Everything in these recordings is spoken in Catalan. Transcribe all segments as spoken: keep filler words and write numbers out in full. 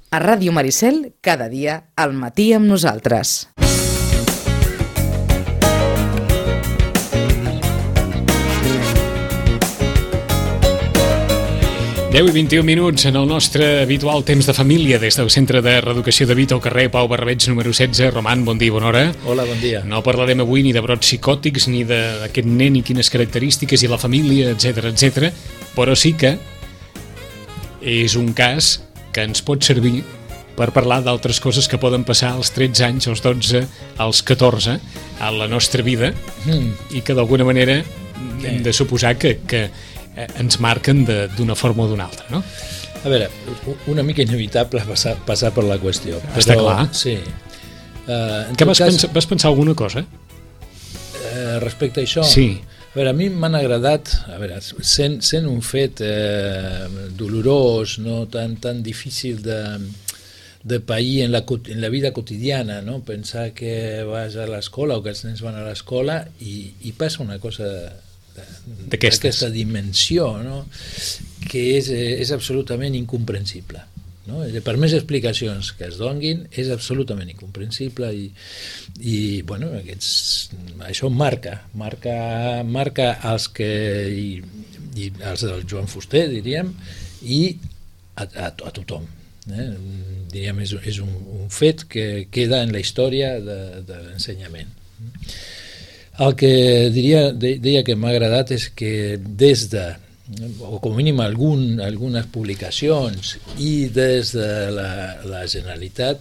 A Ràdio Maricel, cada dia al matí amb nosaltres. deu i vint-i-un minuts en el nostre habitual temps de família des del Centre de Reeducació de Vita al carrer Pau Barrabeig número setze. Roman, bon dia, bona hora. Hola, bon dia. No parlarem avui ni de brots psicòtics, ni d'aquest nen i quines característiques i la família, etcètera, etcètera, però sí que és un cas que ens pot servir per parlar d'altres coses que poden passar als tretze anys, als dotze, als catorze, a la nostra vida, mm. i que d'alguna manera okay. hem de suposar que, que ens marquen d'una forma o d'una altra, no? A veure, una mica inevitable passar, passar per la qüestió. Està però, clar. Sí. Uh, que vas, cas, pensar, vas pensar alguna cosa? Uh, respecte a això? Sí. A veure, a mi m'han agradat, a veure, sent, sent un fet eh, dolorós, no tan, tan difícil de, de pair en la, en la vida quotidiana, no? Pensar que vas a l'escola o que els nens van a l'escola i, i passa una cosa d'aquesta dimensió, no? Que és, és absolutament incomprensible, no? Per més explicacions que es donguin és absolutament incomprensible i, i bueno, aquests, això marca marca, marca els que i, i els del Joan Fuster, diríem, i a, a, a tothom, eh? Diríem, és, és un, un fet que queda en la història de, de l'ensenyament. El que diria, deia que m'ha agradat és que des de, o com a mínim algun, algunes publicacions i des de la, la Generalitat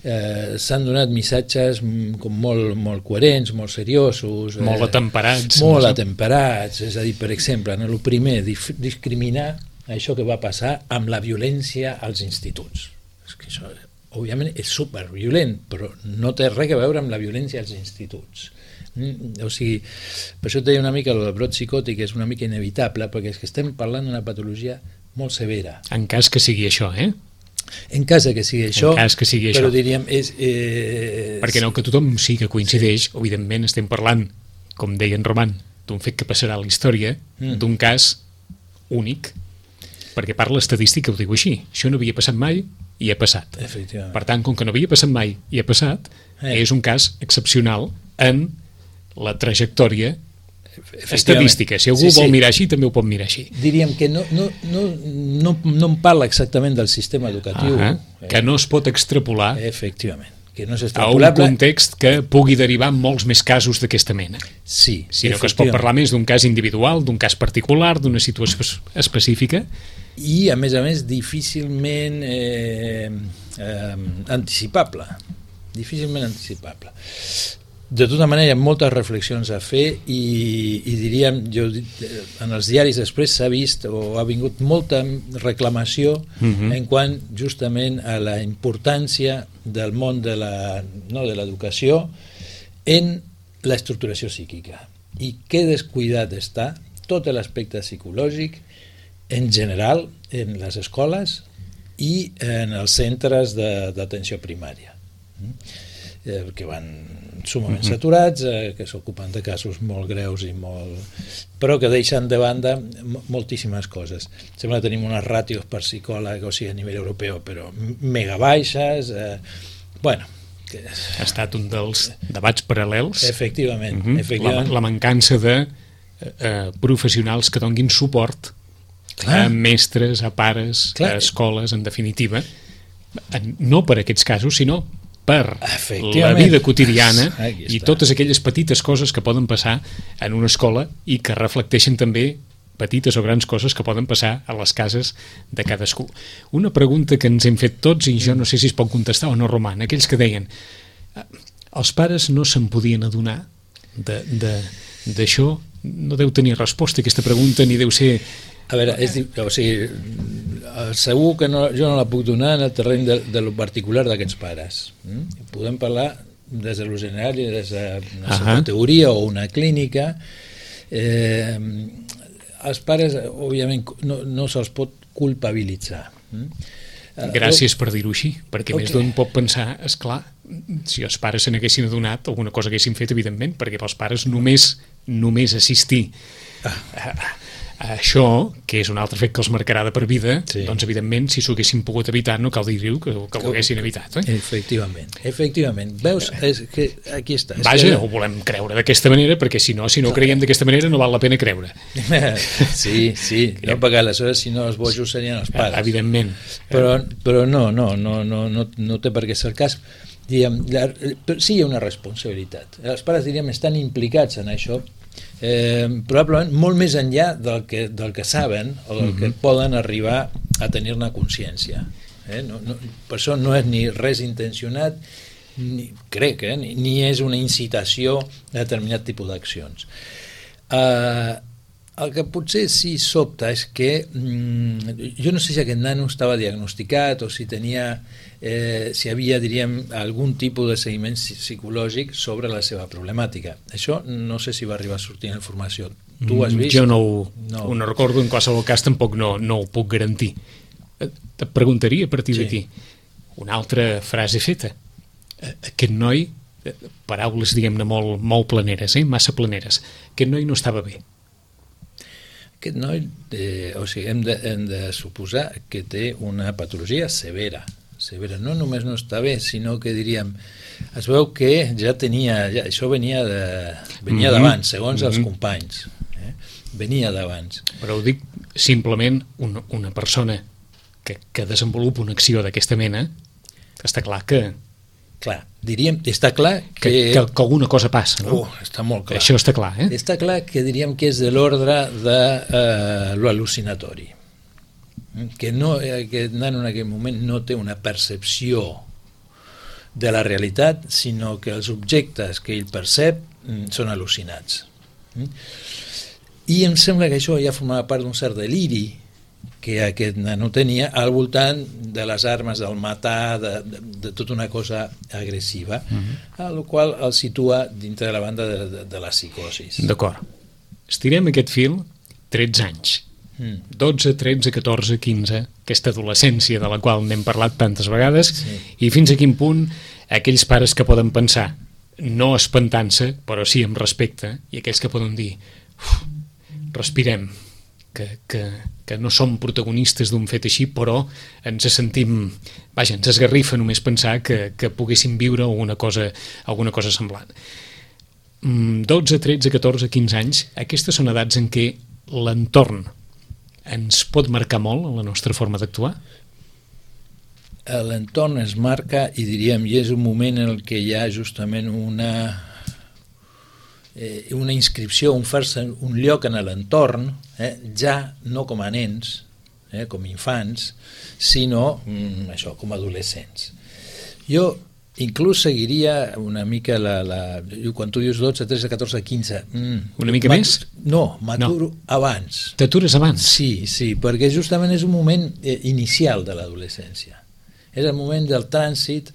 eh, s'han donat missatges com molt, molt coherents, molt seriosos, molt eh, atemperats. Molt no? atemperats, és a dir, per exemple, no, el primer, discriminar això que va passar amb la violència als instituts. És que això, òbviament, és superviolent, però no té res a veure amb la violència als instituts. O sigui, per això et deia una mica el brot psicòtic és una mica inevitable, perquè és que estem parlant d'una patologia molt severa. En cas que sigui això, eh? En cas que sigui això, en cas que sigui però això. diríem és... Eh, perquè no que tothom sí que coincideix, sí. Evidentment estem parlant, com deia en Roman, d'un fet que passarà a la història, mm. d'un cas únic, perquè part l'estadística ho diu així, això no havia passat mai i ha passat. Per tant, com que no havia passat mai i ha passat, eh. és un cas excepcional en la trajectòria estadística. Si algú sí, sí. vol mirar així, també ho pot mirar així. Diríem que no, no, no, no, no en parla exactament del sistema educatiu. Ah, que no es pot extrapolar efectivament, que no és a un context que pugui derivar en molts més casos d'aquesta mena. Sí, sinó que es pot parlar més d'un cas individual, d'un cas particular, d'una situació específica. I, a més a més, difícilment eh, eh, anticipable. Difícilment anticipable. De tota manera, hi ha moltes reflexions a fer i, i diríem, jo, en els diaris després s'ha vist o ha vingut molta reclamació uh-huh. en quant justament a la importància del món de la, no, de l'educació en l'estructuració psíquica i que descuidat està tot l'aspecte psicològic en general en les escoles i en els centres d'atenció primària, eh, que van sumament uh-huh. saturats, eh, que s'ocupen de casos molt greus i molt... però que deixen de banda moltíssimes coses. Sembla que tenim unes ràtios per psicòleg, o sigui, a nivell europeu, però mega baixes, eh, bueno... Que... Ha estat un dels debats paral·lels. Efectivament. Uh-huh. efectivament. La, la mancança de eh, professionals que donguin suport Clar. a mestres, a pares, Clar. a escoles, en definitiva, no per aquests casos, sinó per la vida quotidiana i totes aquelles petites coses que poden passar en una escola i que reflecteixen també petites o grans coses que poden passar a les cases de cadascú. Una pregunta que ens hem fet tots i jo no sé si es pot contestar o no, Roman, aquells que deien els pares no se'n podien adonar d'això, no deu tenir resposta aquesta pregunta ni deu ser... A veure, és, o sigui, segur que no, jo no la puc donar en el terreny de, de lo particular d'aquests pares. Mm? Podem parlar des de lo general i des d'una uh-huh. teoria o una clínica. Eh, els pares, òbviament, no, no se'ls pot culpabilitzar. Mm? Gràcies per dir-ho així, perquè okay. més d'un pot pensar, esclar, si els pares se n'haguessin adonat, alguna cosa haguessin fet, evidentment, perquè pels pares només, només assistir... Ah. Això, que és un altre fet que els marcarà de per vida, sí. doncs evidentment, si s'ho haguessin pogut evitar, no cal dir-ho que, que ho haguessin evitat. Eh? Efectivament, efectivament. Veus, és que aquí està. Vaja, que... ho volem creure d'aquesta manera, perquè si no, si no creiem d'aquesta manera no val la pena creure. Sí, sí, no, perquè aleshores si no els bojos serien els pares. Evidentment. Però, però no, no, no, no, no, no té per què ser el cas. Diguem, la, sí hi ha una responsabilitat. Els pares, diríem, estan implicats en això, eh, probablement molt més enllà del que, del que saben o del que mm-hmm. poden arribar a tenir-ne consciència. Eh? No, no, per això no és ni res intencionat, ni, crec, eh? ni, ni és una incitació a determinat tipus d'accions. Eh, el que potser sí sobta és que mm, jo no sé si aquest nano estava diagnosticat o si tenia eh, si havia, diríem, algun tipus de seguiment psicològic sobre la seva problemàtica. Això no sé si va arribar a sortir en la informació. Tu ho has vist? Jo no ho, no. ho no recordo, en qualsevol cas tampoc no, no ho puc garantir. Et preguntaria a partir sí. d'aquí una altra frase feta. Aquest noi, paraules diguem-ne molt, molt planeres, eh? massa planeres, aquest noi no estava bé. Aquest noi, eh, o sigui, hem de, hem de suposar que té una patologia severa. Severa. No només no està bé, sinó que diríem, es veu que ja tenia, ja, això venia de, venia mm-hmm. d'abans, segons mm-hmm. els companys. Eh? Venia d'abans. Però ho dic simplement una, una persona que, que desenvolupa una acció d'aquesta mena, està clar que... Clar, diríem, està clar que... Que, que, que alguna cosa passa, no? Oh, està molt clar. Això està clar, eh? Està clar que diríem que és de l'ordre de eh, l'al·lucinatori. Que no, aquest nano en aquell moment no té una percepció de la realitat, sinó que els objectes que ell percep són al·lucinats. I em sembla que això ja formava part d'un cert deliri que aquest nano tenia al voltant de les armes, del matar, de, de, de tota una cosa agressiva, uh-huh. a la qual el situa dintre de la banda de, de, de la psicosis. D'acord. Estirem aquest fil tretze anys. dotze, tretze, catorze, quinze, aquesta adolescència de la qual n'hem parlat tantes vegades, sí. i fins a quin punt aquells pares que poden pensar, no espantant-se, però sí amb respecte, i aquells que poden dir, respirem, que, que, que no som protagonistes d'un fet així, però ens sentim, vaja, ens esgarrifa només pensar que, que poguéssim viure alguna cosa, alguna cosa semblant. dotze, tretze, catorze, quinze anys, aquestes són edats en què l'entorn ens pot marcar molt en la nostra forma d'actuar? L'entorn es marca i diríem, i és un moment en què hi ha justament una eh, una inscripció, un fer-se un lloc en l'entorn, eh, ja no com a nens, eh, com infants, sinó mm, això, com a adolescents. Jo inclús seguiria una mica la, la, quan tu dius dotze, tretze, catorze, quinze... Mm, una mica mat, més? No, m'aturo no. abans. T'atures abans? Sí, sí, perquè justament és un moment eh, inicial de l'adolescència. És el moment del trànsit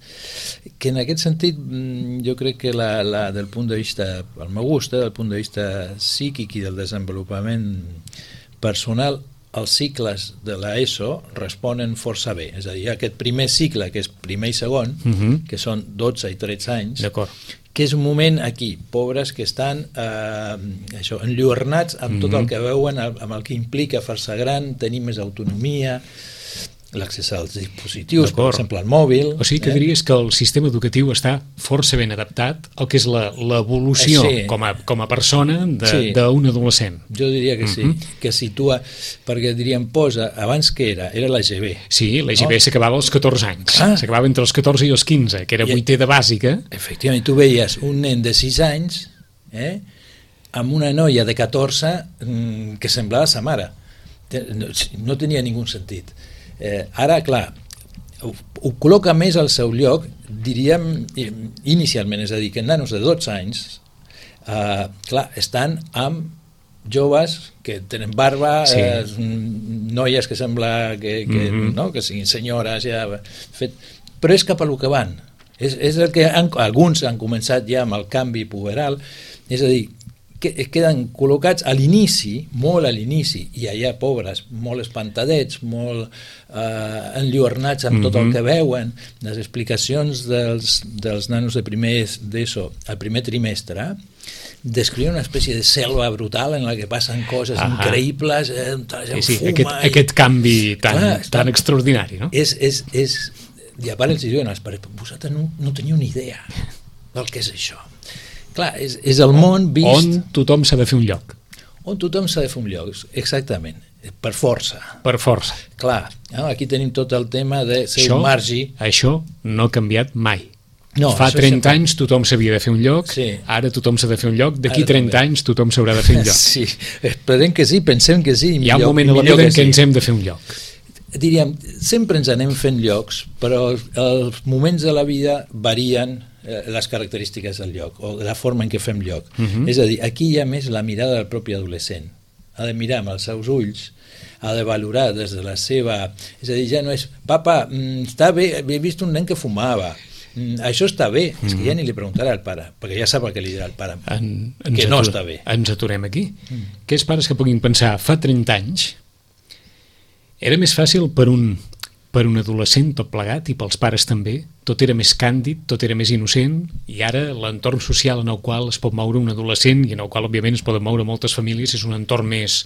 que en aquest sentit mm, jo crec que la, la, del punt de vista, el meu gust, eh, del punt de vista psíquic i del desenvolupament personal, els cicles de l'ESO responen força bé. És a dir, aquest primer cicle, que és primer i segon, uh-huh. que són dotze i tretze anys, que és un moment aquí, pobres que estan eh, això, enlluernats amb uh-huh. tot el que veuen, amb el que implica fer-se gran, tenir més autonomia, l'accés als dispositius, per exemple el mòbil. O sigui que eh? diries que el sistema educatiu està força ben adaptat al que és l'evolució eh, sí. com, a, com a persona d'un sí. adolescent. Jo diria que sí, uh-huh. que situa, perquè diríem, posa, abans que era? Era l'E G B. Sí, l'E G B no? s'acabava als catorze anys, ah. s'acabava entre els catorze i els quinze, que era vuitè de bàsica. Efectivament, tu veies un nen de sis anys eh, amb una noia de catorze mm, que semblava sa mare. No, no tenia ningú sentit. Eh, ara, clar, ho, ho col·loca més al seu lloc, diríem, inicialment, és a dir, que nanos de dotze anys, eh, clar, estan amb joves que tenen barba, sí. eh, noies que sembla que, que, mm-hmm. no? que siguin senyores, ja, fet, però és cap a lo que van. És, és el que han, alguns han començat ja amb el canvi puberal, és a dir, que queden col·locats a l'inici, molt a l'inici, i allà, pobres, molt espantadets, molt eh, enlluernats amb mm-hmm. tot el que veuen. Les explicacions dels, dels nanos de primer d'ESO al primer trimestre descriure una espècie de selva brutal en la que passen coses uh-huh. increïbles, eh, sí, sí, aquest, i... aquest canvi tan, clar, tan extraordinari, no? És, és, és... I a part els diuen als pares, vosaltres no, no teniu ni idea del que és això. Clar, és, és el món vist... On tothom s'ha de fer un lloc. On tothom s'ha de fer un lloc, exactament, per força. Per força. Clar, no? Aquí tenim tot el tema de ser això, un margi. Això no ha canviat mai. No, Fa trenta sempre... anys tothom s'havia de fer un lloc, sí. Ara tothom s'ha de fer un lloc, d'aquí trenta anys tothom s'haurà de fer un lloc. Sí, esperem que sí, pensem que sí. Hi ha un moment a la vida en què sí. ens hem de fer un lloc. Diríem, sempre ens anem fent llocs, però els moments de la vida varien les característiques del lloc, o la forma en què fem lloc. Uh-huh. És a dir, aquí hi ha més la mirada del propi adolescent. Ha de mirar amb els seus ulls, ha de valorar des de la seva... És a dir, ja no és, papa, està bé, he vist un nen que fumava, això està bé, mm. és que ja ni li preguntarà al pare, perquè ja sap el que li dirà al pare, en, que no està bé. Ens aturem aquí. Mm. Aquells pares que puguin pensar, fa trenta anys, era més fàcil per un, per un adolescent tot plegat, i pels pares també, tot era més càndid, tot era més innocent, i ara l'entorn social en el qual es pot moure un adolescent, i en el qual òbviament es poden moure moltes famílies, és un entorn més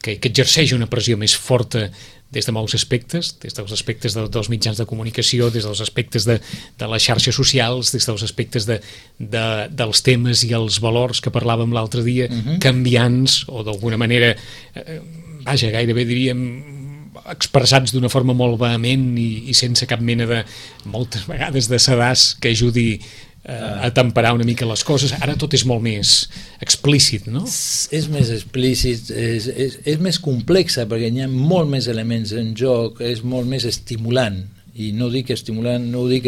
que, que exerceix una pressió més forta des de molts aspectes, des dels aspectes de, dels mitjans de comunicació, des dels aspectes de, de les xarxes socials, des dels aspectes de, de, dels temes i els valors que parlàvem l'altre dia, uh-huh. canviants, o d'alguna manera, eh, vaja, gairebé diríem, expressats d'una forma molt vehement i, i sense cap mena de, moltes vegades, de sedàs que ajudi eh, a temperar una mica les coses. Ara tot és molt més explícit, no? És més explícit, és, és, és més complexa, perquè hi ha molt més elements en joc, és molt més estimulant, i no dic estimulant, no dic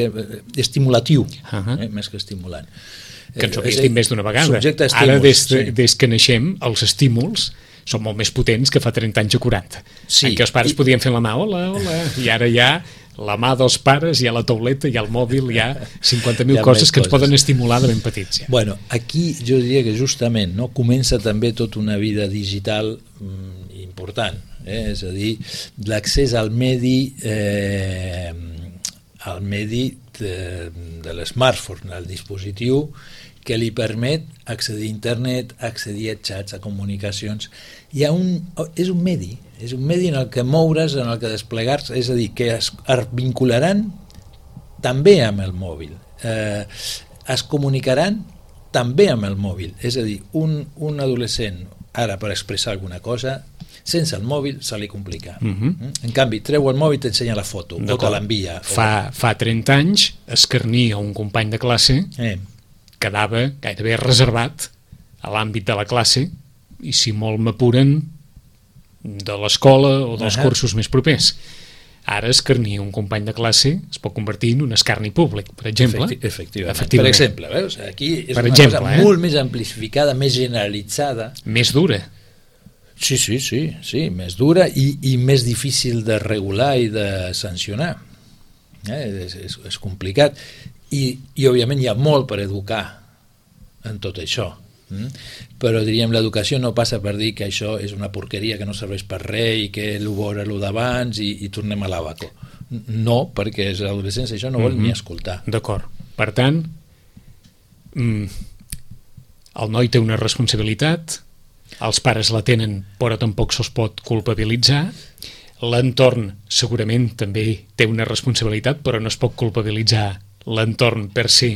estimulatiu, uh-huh. eh, més que estimulant. Que ens ho havies dit més d'una vegada. Ara, des, de, sí. des que naixem, els estímuls són molt més potents que fa trenta anys o quaranta, sí. en què els pares I... podien fer la mà, hola, hola, i ara ja la mà dels pares, hi ha la tauleta, hi ha el mòbil, hi ha cinquanta mil coses que ens coses. poden estimular de ben petits. Ja. Bueno, aquí jo diria que justament no comença també tota una vida digital mm, important, eh? És a dir, l'accés al medi eh, al medi de, de l'smartphone, al dispositiu que li permet accedir a internet, accedir a xats, a comunicacions. Hi ha un, és un medi, és un medi en el que moure's, en el que desplegar-se, és a dir, que es, es vincularan també amb el mòbil, eh, es comunicaran també amb el mòbil, és a dir, un, un adolescent, ara per expressar alguna cosa, sense el mòbil se li complica. Uh-huh. En canvi, treu el mòbil i t'ensenya la foto, o te l'envia. Fa, o... fa trenta anys, escarnir a un company de classe eh. quedava gairebé reservat a l'àmbit de la classe, i si molt m'apuren, de l'escola o dels uh-huh. cursos més propers. Ara escarnir un company de classe es pot convertir en un escarni públic, per exemple. Efecti efectivament. efectivament. Per exemple, veus? Aquí és per una exemple, cosa eh? molt més amplificada, més generalitzada. Més dura. Sí, sí, sí, sí, més dura i, i més difícil de regular i de sancionar. Eh? És, és, és complicat. I, i òbviament hi ha molt per educar en tot això, mm? però diríem l'educació no passa per dir que això és una porqueria que no serveix per res i que l'ho veure l'ho d'abans i, i tornem a l'abaco. No, perquè l'adolescència això no vol mm-hmm. ni escoltar. D'acord. Per tant, mm, el noi té una responsabilitat, els pares la tenen però tampoc se'ls pot culpabilitzar, l'entorn segurament també té una responsabilitat però no es pot culpabilitzar l'entorn per si.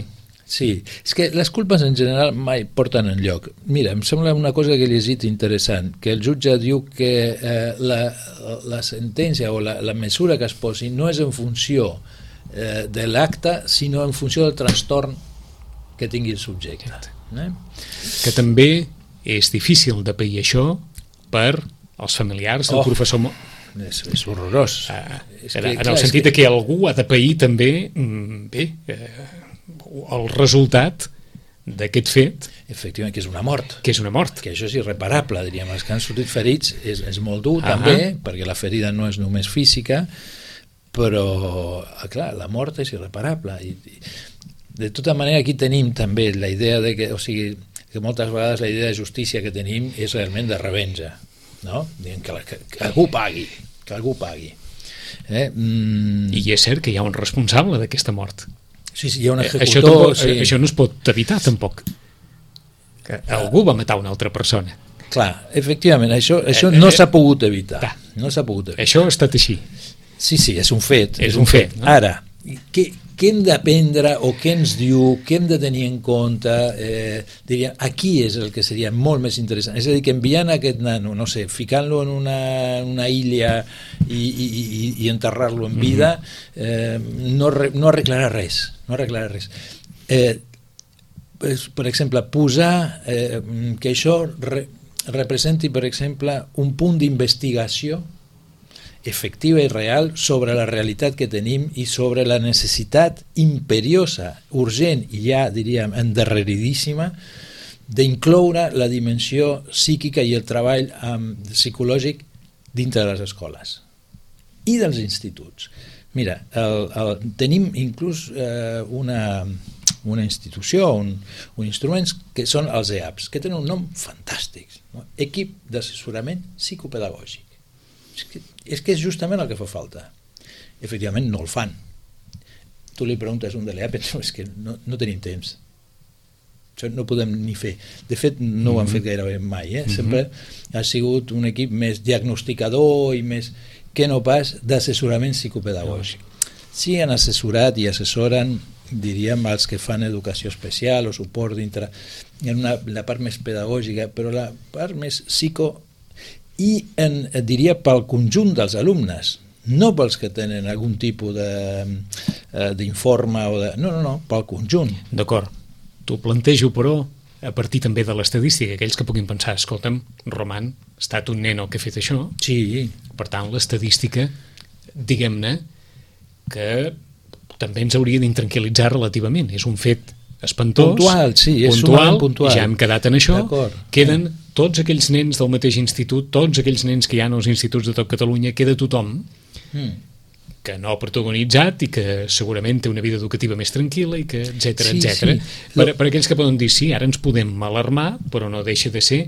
Sí, és que les culpes en general mai porten enlloc. Mira, em sembla una cosa que he llegit interessant, que el jutge diu que eh, la, la sentència o la, la mesura que es posi no és en funció eh, de l'acte, sinó en funció del trastorn que tingui el subjecte. Eh? Que també és difícil de pair això per als familiars del oh. professor... És, és horrorós. Ah, és que, en clar, el sentit que... que algú ha de pair també bé, eh, el resultat d'aquest fet. Efectivament, que és una mort. Que és una mort. Que això és irreparable, diríem. Els que han sortit ferits és, és molt dur, ah també, perquè la ferida no és només física, però, clar, la mort és irreparable. I, i, de tota manera, aquí tenim també la idea de que, o sigui, que moltes vegades la idea de justícia que tenim és realment de revenja, no? Dient que, la, que, que algú pagui, que algú pagui. Eh? Mm. I és cert que hi ha un responsable d'aquesta mort. Sí, sí, hi ha un executor. Eh, això, tampoc, sí. això no es pot evitar, tampoc. que algú va matar una altra persona. Clar, efectivament, això, això no s'ha pogut evitar. No s'ha pogut evitar. Això ha estat així. Sí, sí, és un fet. És un fet, no? Ara, què, què hem d'aprendre o què ens diu, què hem de tenir en compte? Eh, diria, aquí és el que seria molt més interessant. És a dir, que enviant aquest nano, no sé, ficant-lo en una, una illa i, i, i, i enterrar-lo en vida, eh, no, no arreglarà res. No arreglarà res. Eh, per exemple, posar eh, que això re, representi, per exemple, un punt d'investigació efectiva i real sobre la realitat que tenim i sobre la necessitat imperiosa, urgent i ja, diríem, endarreridíssima d'incloure la dimensió psíquica i el treball um, psicològic dintre de les escoles i dels instituts. Mira, el, el, tenim inclús eh, una, una institució, un, un instruments que són els E A Ps, que tenen un nom fantàstic, no? Equip d'assessorament psicopedagògic. És que, és que és justament el que fa falta. Efectivament no el fan. Tu li preguntes a un de l'E A P, no, és que no, no tenim temps. Això no podem ni fer. De fet, no ho han fet gairebé mai. Eh? Sempre ha sigut un equip més diagnosticador i més que no pas d'assessorament psicopedagògic. Sí, han assessorat i assessoren, diríem, els que fan educació especial o suport dintre en una, la part més pedagògica, però la part més psico i en, diria pel conjunt dels alumnes, no pels que tenen algun tipus d'informe o de... no, no, no, pel conjunt. D'acord, t'ho plantejo però a partir també de l'estadística, aquells que puguin pensar, escolta'm, Roman, ha estat un nen el que ha fet això, sí. Per tant l'estadística, diguem-ne que també ens hauria d'intranquil·litzar relativament, és un fet espantós, puntual, sí, és puntual, puntual. Ja hem quedat en això, queden sí. Tots aquells nens del mateix institut, tots aquells nens que hi ha als instituts de tot Catalunya, queda tothom mm. que no ha protagonitzat i que segurament té una vida educativa més tranquil·la i que etcètera, sí, etcètera. Sí. Per, per aquells que poden dir sí, ara ens podem alarmar, però no deixa de ser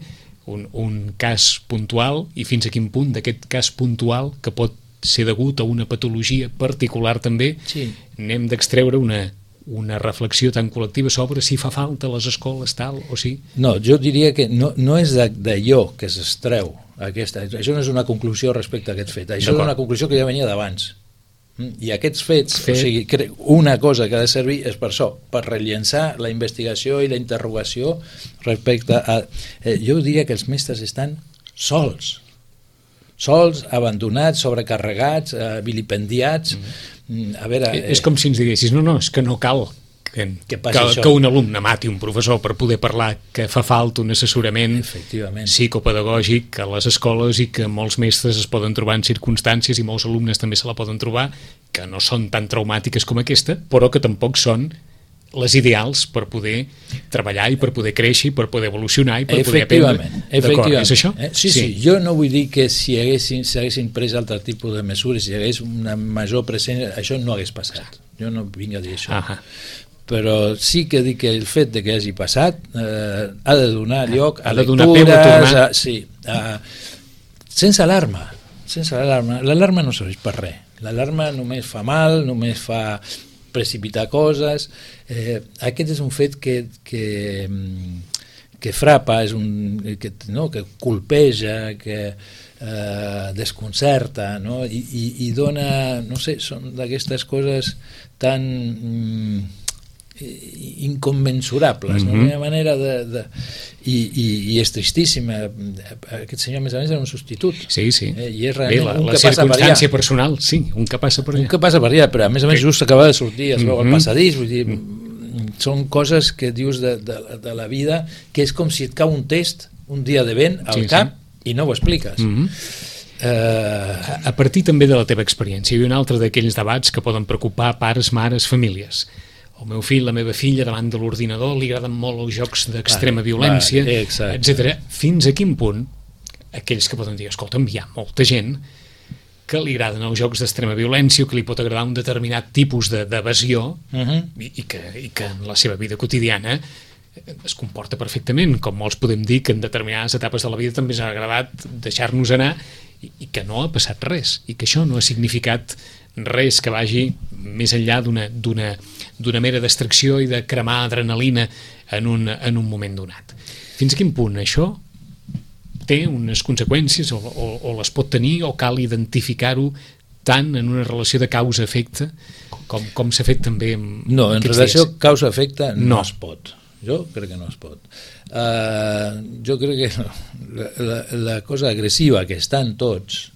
un, un cas puntual i fins a quin punt d'aquest cas puntual que pot ser degut a una patologia particular també, sí. N'hem d'extreure una una reflexió tan col·lectiva sobre si fa falta a les escoles tal o sí? No, jo diria que no, no és d'allò que s'extreu aquesta, això no és una conclusió respecte a aquest fet, això és una conclusió que ja venia d'abans i aquests fets, Fet. o sigui, una cosa que ha de servir és per això, per rellençar la investigació i la interrogació respecte a... Eh, jo diria que els mestres estan sols sols, abandonats, sobrecarregats, eh, vilipendiats. Mm. A veure, eh, és com si ens diguessis, no, no, és que no cal que, que, que, que un alumne mati un professor per poder parlar, que fa falta un assessorament psicopedagògic a les escoles i que molts mestres es poden trobar en circumstàncies i molts alumnes també se la poden trobar, que no són tan traumàtiques com aquesta, però que tampoc són les ideals per poder treballar i per poder créixer i per poder evolucionar i per poder aprendre. D'acord, és això? Eh? Sí, sí, sí, jo no vull dir que si haguessin, si haguessin pres altre tipus de mesures, si hi hagués una major presència, això no hagués passat. Jo no vinc a dir això. Ahà. Però sí que dic que el fet de que hagi passat eh, ha de donar lloc a, a lectures, a, sí, a, sense alarma, sense alarma. L'alarma no serveix per res. L'alarma només fa mal, només fa precipitar coses. Eh, aquest és un fet que, que, que frapa, és un, que, no, que colpeja, que eh, desconcerta, no? I, i, i dona, no sé, són d'aquestes coses tan mm, incommensurables, mm-hmm. no? Una manera de... de i, i, i és tristíssima. Aquest senyor, a més a més, era un substitut. Sí, sí. Eh, I és realment Bé, la, un la que passa per allà. circumstància personal, sí, un que passa per allà. Un que passa per allà, però a més a més just acaba de sortir, es veu mm-hmm. al passadís, vull dir, mm-hmm. són coses que dius de, de, de la vida, que és com si et cau un test un dia de vent al sí, cap sí. i no ho expliques. Mm-hmm. Uh, a partir també de la teva experiència, hi ha un altre d'aquells debats que poden preocupar pares, mares, famílies. El meu fill, la meva filla, davant de l'ordinador li agraden molt els jocs d'extrema violència, etcètera. Fins a quin punt aquells que poden dir, escolta'm, hi ha molta gent que li agraden els jocs d'extrema violència o que li pot agradar un determinat tipus d'evasió uh-huh. i, i, que, i que en la seva vida quotidiana es comporta perfectament, com molts podem dir que en determinades etapes de la vida també ens ha agradat deixar-nos anar i, i que no ha passat res, i que això no ha significat res que vagi més enllà d'una, d'una, d'una mera distracció i de cremar adrenalina en un, en un moment donat. Fins a quin punt això té unes conseqüències o, o, o les pot tenir, o cal identificar-ho tant en una relació de causa-efecte com, com s'ha fet també amb no, en relació causa-efecte no. no es pot. Jo crec que no es pot. Uh, jo crec que la, la, la cosa agressiva que estan tots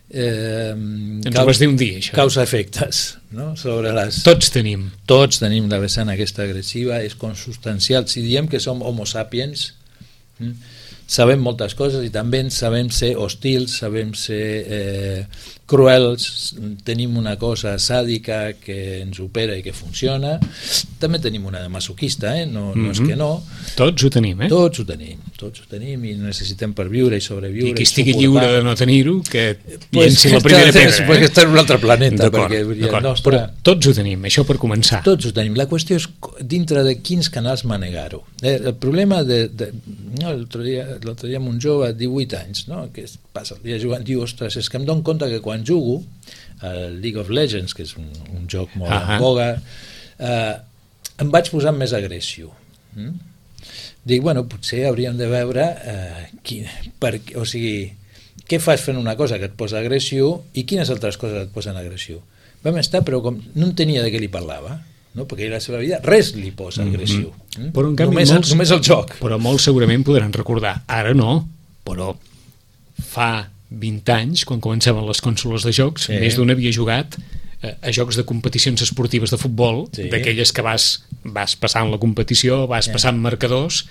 eh, ens ho vas dir un dia, això. Causa-efectes, no? Sobre les... Tots tenim. Tots tenim la vessant aquesta agressiva, és consubstancial. Si diem que som homo sapiens, hm? sabem moltes coses i també sabem ser hostils, sabem ser eh, cruels, tenim una cosa sàdica que ens opera i que funciona, també tenim una de masoquista, eh? no, no mm-hmm. és que no. Tots ho tenim, eh? Tots ho tenim, tots ho tenim i necessitem per viure i sobreviure. I qui estigui i lliure de no tenir-ho, que pues llenci la primera pedra. Pues eh? està en un altre planeta. D'acord, perquè d'acord. Nostre... Però tots ho tenim, això per començar. Tots ho tenim. La qüestió és dintre de quins canals manegar-ho. Eh, el problema de... de no, l'altre dia, l'altre dia amb un jove de divuit anys, no? Que passa el dia jugant, diu, ostres, és que em dono compte que quan jugo al League of Legends, que és un, un joc molt en boga, eh, em vaig posar més agressió. Mm? Dic, bueno, potser hauríem de veure eh, quin, per, o sigui, què fas fent una cosa que et posa agressió i quines altres coses et posen agressió. Vam estar, però com no entenia de què li parlava, no? Perquè a la seva vida res li posa agressió. Mm-hmm. Però en canvi, només, molts, només el joc. Però molts segurament podran recordar, ara no, però fa vint anys, quan començaven les consoles de jocs, sí. més d'un havia jugat eh, a jocs de competicions esportives de futbol, sí. d'aquelles que vas, vas passant la competició, vas sí. passant marcadors,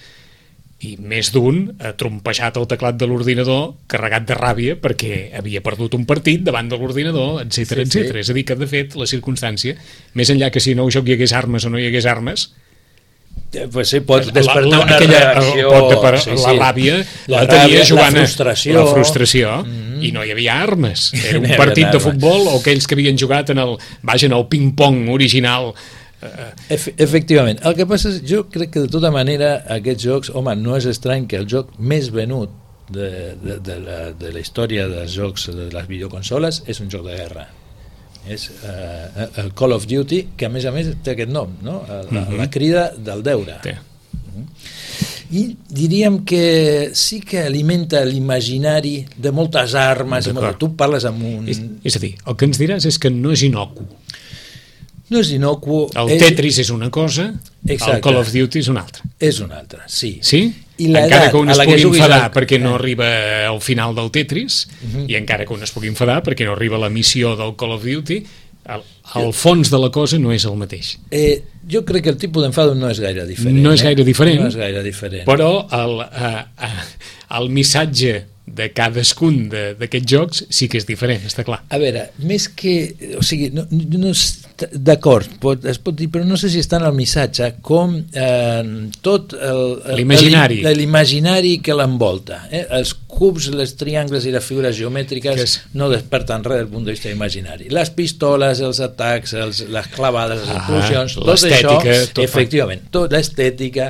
i més d'un ha trompejat el teclat de l'ordinador carregat de ràbia perquè havia perdut un partit davant de l'ordinador, etcètera, sí, etcètera. Sí. És a dir, que de fet la circumstància, més enllà que si no joc hi hagués armes o no hi hagués armes, pues sí, pot despertar la, la, una aquella, reacció, pot per, sí, la sí. ràbia la, la tenia ràbia, jugant la frustració, la frustració mm-hmm. i no hi havia armes, era un partit de futbol o aquells que havien jugat en el, vaja, en el ping-pong original. Efe, efectivament, el que passa és, jo crec que de tota manera aquests jocs, home, no és estrany que el joc més venut de, de, de, la, de la història dels jocs de les videoconsoles és un joc de guerra, és uh, el Call of Duty, que a més a més té aquest nom, no? la, mm-hmm. la crida del deure. Té. I diríem que sí que alimenta l'imaginari de moltes armes, molt... tu parles amb un... És, és a dir, el que ens diràs és que no és inocu. No és inocu. El és... Tetris és una cosa, exacte. El Call of Duty és una altra. És una altra, sí. Sí? I encara que un es pugui enfadar el... perquè no eh. arriba al final del Tetris, uh-huh. i encara que un es pugui enfadar perquè no arriba a la missió del Call of Duty, el, el fons de la cosa no és el mateix. Eh, jo crec que el tipus d'enfado no és gaire diferent. No és gaire diferent, eh? no és gaire diferent. Però el, uh, uh, el missatge de cadascun d'aquests jocs sí que és diferent, està clar. A veure, més que... O sigui, no, no d'acord, pot, es pot dir, però no sé si està en el missatge, com eh, tot el... L'imaginari. L'imaginari que l'envolta. Eh? Els cubs, les triangles i les figures geomètriques és... no desperten res del punt de vista imaginari. Les pistoles, els atacs, els, les clavades, les ah, explosions, tot això, tot efectivament, tota l'estètica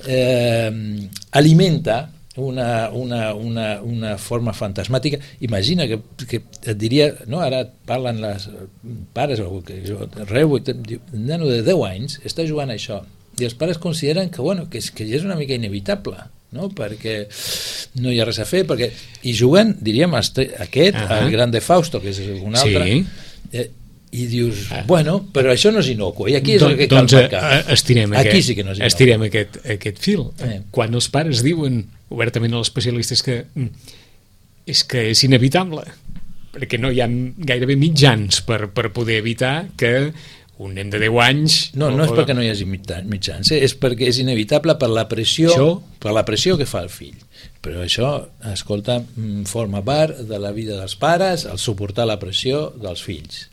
eh, alimenta Una, una, una, una forma fantasmàtica. Imagina que, que et diria, no? Ara parlen les pares o que jo, reu, un nano de deu anys està jugant a això i els pares consideren que, bueno, que, és, que ja és una mica inevitable, no? Perquè no hi ha res a fer, perquè i juguen, diríem, aquest, uh-huh. el Grande Fausto, que és un altre, sí. eh, i dius, ah. bueno, però això no és inocu, i aquí és Don, el que cal doncs, marcar. Estirem aquí aquest, sí que no és inocu. Estirem aquest, aquest fil. Eh. Quan els pares diuen obertament als especialistes que és que és inevitable, perquè no hi ha gairebé mitjans per, per poder evitar que un nen de deu anys... No, no és perquè no hi hagi mitjans, eh? És perquè és inevitable per la pressió, això? per la pressió que fa el fill. Però això, escolta, forma part de la vida dels pares, el suportar la pressió dels fills.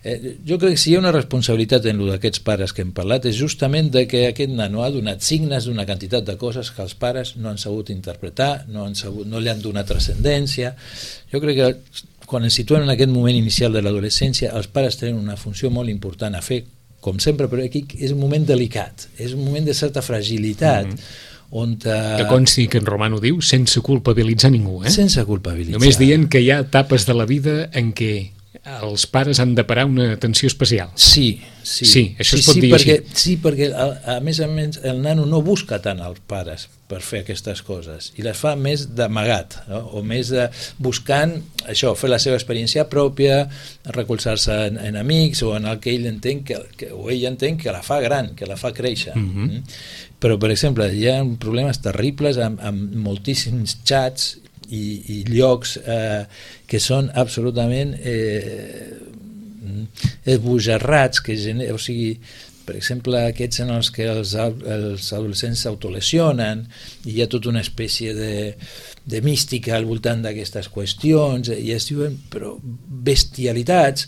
Eh, jo crec que si hi ha una responsabilitat en lo d'aquests pares que hem parlat és justament de que aquest nano ha donat signes d'una quantitat de coses que els pares no han sabut interpretar, no, han sabut, no li han donat transcendència. Jo crec que quan ens situem en aquest moment inicial de l'adolescència els pares tenen una funció molt important a fer, com sempre, però aquí és un moment delicat, és un moment de certa fragilitat, mm-hmm. on... Uh, que consti que en Roman ho diu sense culpabilitzar ningú, eh? Sense culpabilitzar. Només dient que hi ha etapes de la vida en què els pares han de parar una atenció especial. Sí, sí. Sí, això sí, es pot sí, dir perquè, així. Sí, perquè a, a més a més el nano no busca tant els pares per fer aquestes coses i les fa més d'amagat, no? O més de, buscant això, fer la seva experiència pròpia, recolzar-se en, en amics o en el que ell entén que, que, o ell entén que la fa gran, que la fa créixer. Mm-hmm. Mm? Però, per exemple, hi ha problemes terribles amb, amb moltíssims xats i, i llocs eh, que són absolutament eh, esbojarrats, que gener... o sigui, per exemple, aquests en els que els, els adolescents s'autolesionen i hi ha tota una espècie de, de mística al voltant d'aquestes qüestions i es diuen però bestialitats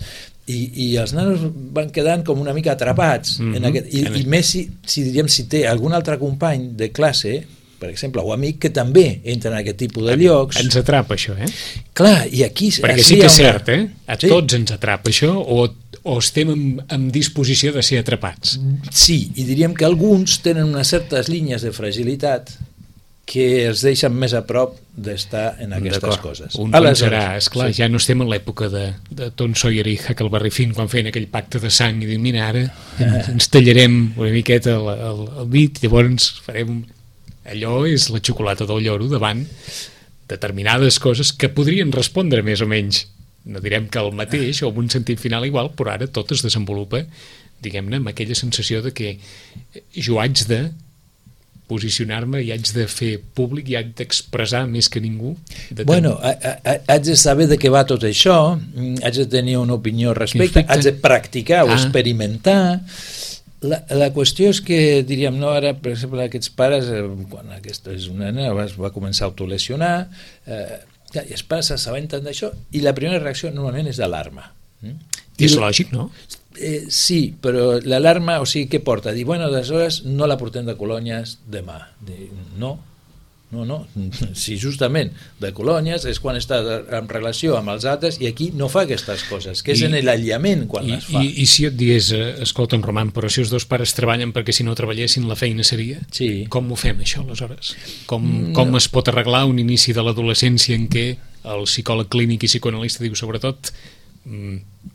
i, i els nanos van quedant com una mica atrapats mm-hmm. en aquest, i, i més si, si, diríem, si té algun altre company de classe, per exemple, o amic, que també entra en aquest tipus de llocs. Ens atrapa això, eh? Clar, i aquí... Perquè sí que és cert, eh? A sí. Tots ens atrapa això, o, o estem en, en disposició de ser atrapats. Sí, i diríem que alguns tenen unes certes línies de fragilitat que els deixen més a prop d'estar en aquestes coses. Un pensarà, esclar, sí. Ja no estem en l'època de, de Tom Sawyer i Huckleberry Finn quan feien aquell pacte de sang i diuen, mira, ara ens tallarem una miqueta el, el, el dit, llavors farem... Allò és la xocolata del lloro davant determinades coses que podrien respondre més o menys, no direm que el mateix o amb un sentit final igual, però ara tot es desenvolupa, diguem-ne, amb aquella sensació de que jo haig de posicionar-me i haig de fer públic i haig d'expressar més que ningú. Bueno, haig de saber de què va tot això, haig de tenir una opinió al respecte, haig de practicar o ah. experimentar. La, la qüestió és que, diríem, no, ara, per exemple, aquests pares, eh, quan aquesta és una nena, va, va començar a autolesionar, eh, i els pares s'assabenten d'això, i la primera reacció normalment és d'alarma. Mm? És lògic, no? Eh, sí, però l'alarma, o sigui, què porta? Dir, bueno, aleshores no la portem de colònies demà. Dir, no, no, no. Si justament de colònies és quan està en relació amb els altres i aquí no fa aquestes coses, que és I, en l'aïllament quan i, les fa. I, I si et diés, escolta'm, Roman, però si els dos pares treballen perquè si no treballessin la feina seria? Sí. Com ho fem, això, aleshores? Com, no. com es pot arreglar un inici de l'adolescència en què el psicòleg clínic i psicoanalista diu, sobretot,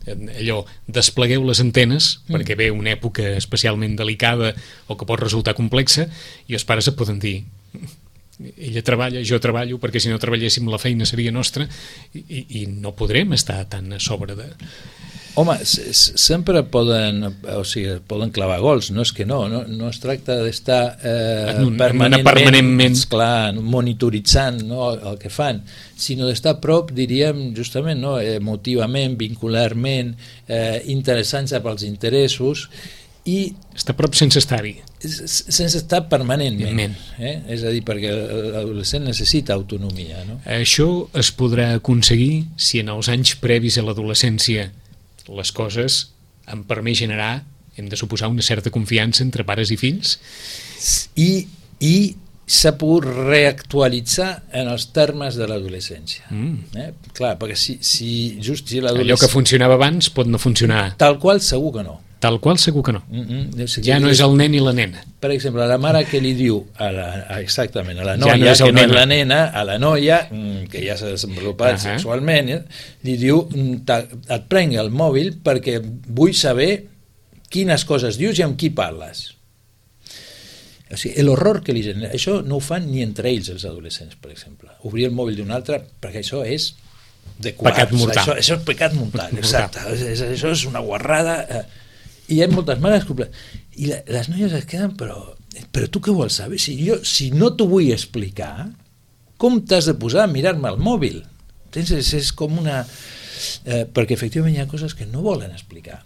allò, desplegueu les antenes mm. perquè ve una època especialment delicada o que pot resultar complexa i els pares et poden dir ella treballa, jo treballo perquè si no treballéssim la feina seria nostra i, i, i no podrem estar tan a sobre de... Home, sempre poden, o sigui, poden clavar gols, no és que no, no, no es tracta d'estar eh, permanentment, permanentment clar, monitoritzant, no, el que fan, sinó d'estar a prop, diríem, justament, no, emotivament, vincularment, eh, interessant-se pels interessos, i està a prop sense estar-hi, sense estar permanentment, eh? És a dir, perquè l'adolescent necessita autonomia, no? Això es podrà aconseguir si en els anys previs a l'adolescència les coses han permès generar, hem de suposar, una certa confiança entre pares i fills i, i s'ha pogut reactualitzar en els termes de l'adolescència. Mm. Eh? Clar, perquè si, si just si l'adolescència... Allò que funcionava abans pot no funcionar. Tal qual segur que no. Tal qual segur que no. Mm-hmm. Ja no és el nen i la nena. Per exemple, la mare que li diu a la, exactament, a la noia, ja no que no és la nena, a la noia, que ja s'ha desenvolupat uh-huh. sexualment, eh, li diu, et prenc el mòbil perquè vull saber quines coses dius i amb qui parles. O sigui, l'horror que li genera, això no ho fan ni entre ells els adolescents, per exemple. Obrir el mòbil d'un altre, perquè això és de quart. Pecat mortal. Això, això és pecat mortal, exacte. Això, això és una guarrada... Eh, i hi ha moltes mares i la, les noies es queden però, però tu què vols saber? Si, jo, si no t'ho vull explicar, com t'has de posar a mirar-me el mòbil? Tens, és, és com una... Eh, perquè efectivament hi ha coses que no volen explicar.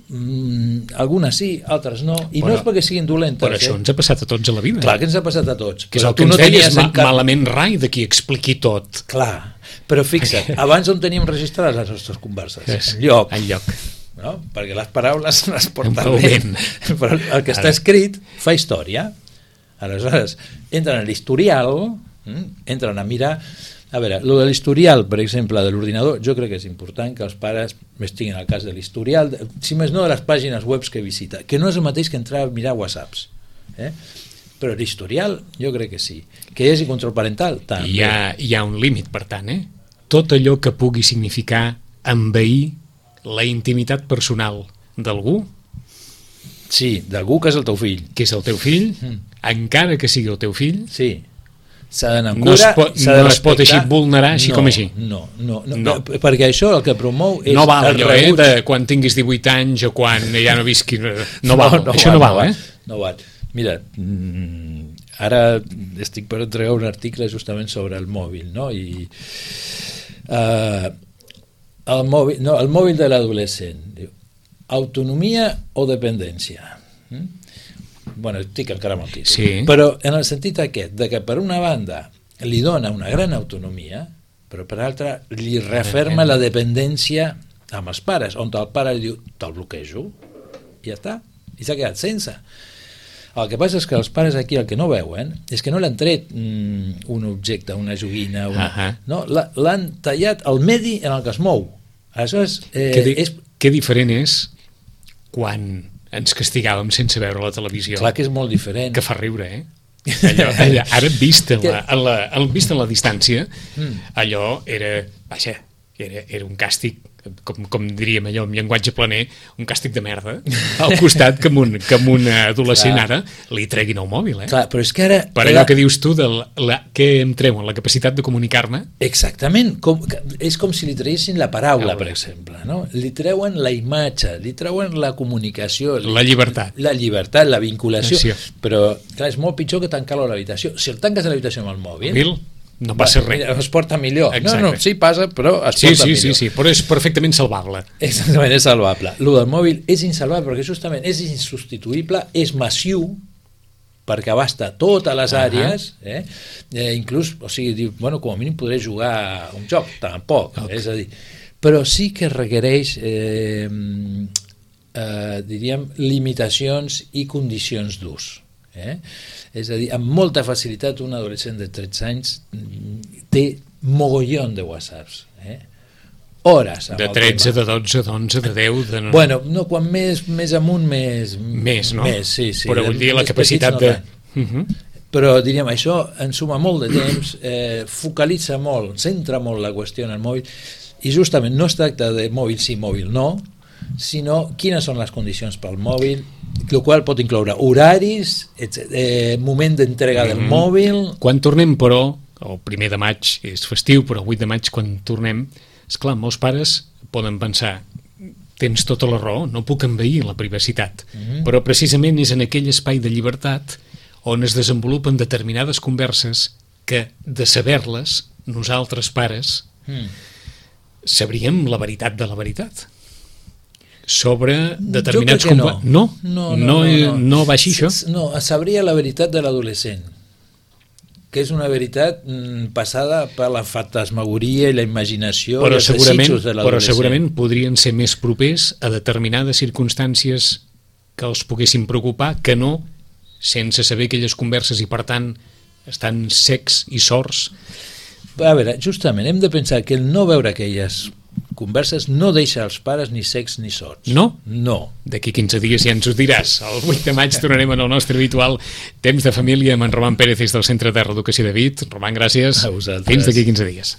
Mm, algunes sí, altres no, i però, no és perquè siguin dolentes. Però això eh? ens ha passat a tots a la vida. Clar que ens ha passat a tots. Que és el que ens no deies ma cap... malament rai de qui expliqui tot. Clar, però fixa't, abans on teníem registrades les nostres converses? És, en lloc. En lloc. No? Perquè les paraules les porten bé, però el que està escrit fa història. Aleshores, entren a l'historial, entren a mirar... A veure, lo de l'historial, per exemple, de l'ordinador, jo crec que és important que els pares estiguin al cas de l'historial, si més no de les pàgines web que visita, que no és el mateix que entrar a mirar whatsapps. Eh? però l'historial jo crec que sí. Que hi hagi control parental, també. Hi ha, hi ha un límit, per tant, eh? Tot allò que pugui significar envair la intimitat personal d'algú, sí, d'algú que és el teu fill, que és el teu fill, mm. encara que sigui el teu fill, sí, s'ha d'anar amb no cura, es pot, s'ha de no es pot així vulnerar així no, com així. No, no, no, no, no, perquè això el que promou és no val el allò, eh, rebuig. de quan tinguis divuit anys o quan ja no visqui, no, no val, no, no això val, no val, eh? No val. Mira, mm, ara estic per entregar un article justament sobre el mòbil, no? I uh, el mòbil, no, el mòbil de l'adolescent, diu, autonomia o dependència? Mm? Bueno, estic encara amb el títol. Sí. Però en el sentit aquest, de que per una banda li dona una gran autonomia, però per l'altra li referma la dependència amb els pares, on el pare li diu, te'l bloquejo, i ja està, i s'ha quedat sense. El que passa és que els pares aquí el que no veuen és que no l'han tret mm, un objecte, una joguina, una, uh -huh. no, l'han tallat el medi en el que es mou. Aleshores, eh, que, di és... que diferent és quan ens castigàvem sense veure la televisió. Clar que és molt diferent. Que fa riure, eh? Allò, allò, ara vist en la, en la, en, vist en la distància, mm. allò era, vaja, era, era un càstig, com, com diríem allò en llenguatge planer, un càstig de merda, al costat que amb un, que amb un adolescent clar. Ara li treguin el mòbil, eh? Clar, però és que ara... Per allò la... que dius tu, de la, la, que em treuen la capacitat de comunicar-me. Exactament, com, és com si li traguessin la paraula, per exemple, no? Li treuen la imatge, li treuen la comunicació, la llibertat, la llibertat, la vinculació, sí. Però clar, és molt pitjor que tancar-lo a l'habitació. Si el tanques a l'habitació amb el mòbil... mòbil no passa res. Es porta millor. Exacte. No, no, sí passa, però es sí, porta sí, millor. Sí, sí, però és perfectament salvable. Exactament, és salvable. Lo del mòbil és insalvable perquè justament és insubstituïble, és massiu, perquè abasta totes les àrees, uh -huh. eh? eh? Inclús, o sigui, diu, bueno, com a mínim podré jugar a un joc, tampoc, okay. És a dir, però sí que requereix, eh, eh, diríem, limitacions i condicions d'ús. Eh? És a dir, amb molta facilitat un adolescent de tretze anys té mogollon de whatsapps, eh? Hores de tretze, de dotze, d'onze, de deu de... No... Bueno, no, quan més, més amunt més, més, no? Més, sí, sí. Però vull dir la capacitat no de... Uh -huh. Però diríem, això ensuma molt de temps, eh, focalitza molt, centra molt la qüestió en el mòbil, i justament no es tracta de mòbil sí, mòbil no, sinó quines són les condicions pel mòbil, el qual pot incloure horaris, eh, moment d'entrega del mm-hmm. mòbil... Quan tornem, però, el primer de maig és festiu, però el vuit de maig quan tornem, esclar, molts pares poden pensar, tens tota la raó, no puc envair la privacitat, mm-hmm. però precisament és en aquell espai de llibertat on es desenvolupen determinades converses que, de saber-les, nosaltres pares mm. sabríem la veritat de la veritat sobre determinats... No. No? No, no, no, no, no. no va així, això? No, sabria la veritat de l'adolescent, que és una veritat mm, passada per la fantasmagoria i la imaginació però i els desitjos de l'adolescent. Però segurament podrien ser més propers a determinades circumstàncies que els poguessin preocupar que no sense saber aquelles converses i, per tant, estan secs i sords. A veure, justament, hem de pensar que el no veure aquelles converses no deixa els pares ni secs ni sords. No? No. D'aquí quinze dies ja ens ho diràs. El vuit de maig tornarem en el nostre habitual Temps de Família amb en Roman Pérez des del Centre de Reeducació de Vic. Roman, gràcies. A vosaltres. Fins d'aquí quinze dies.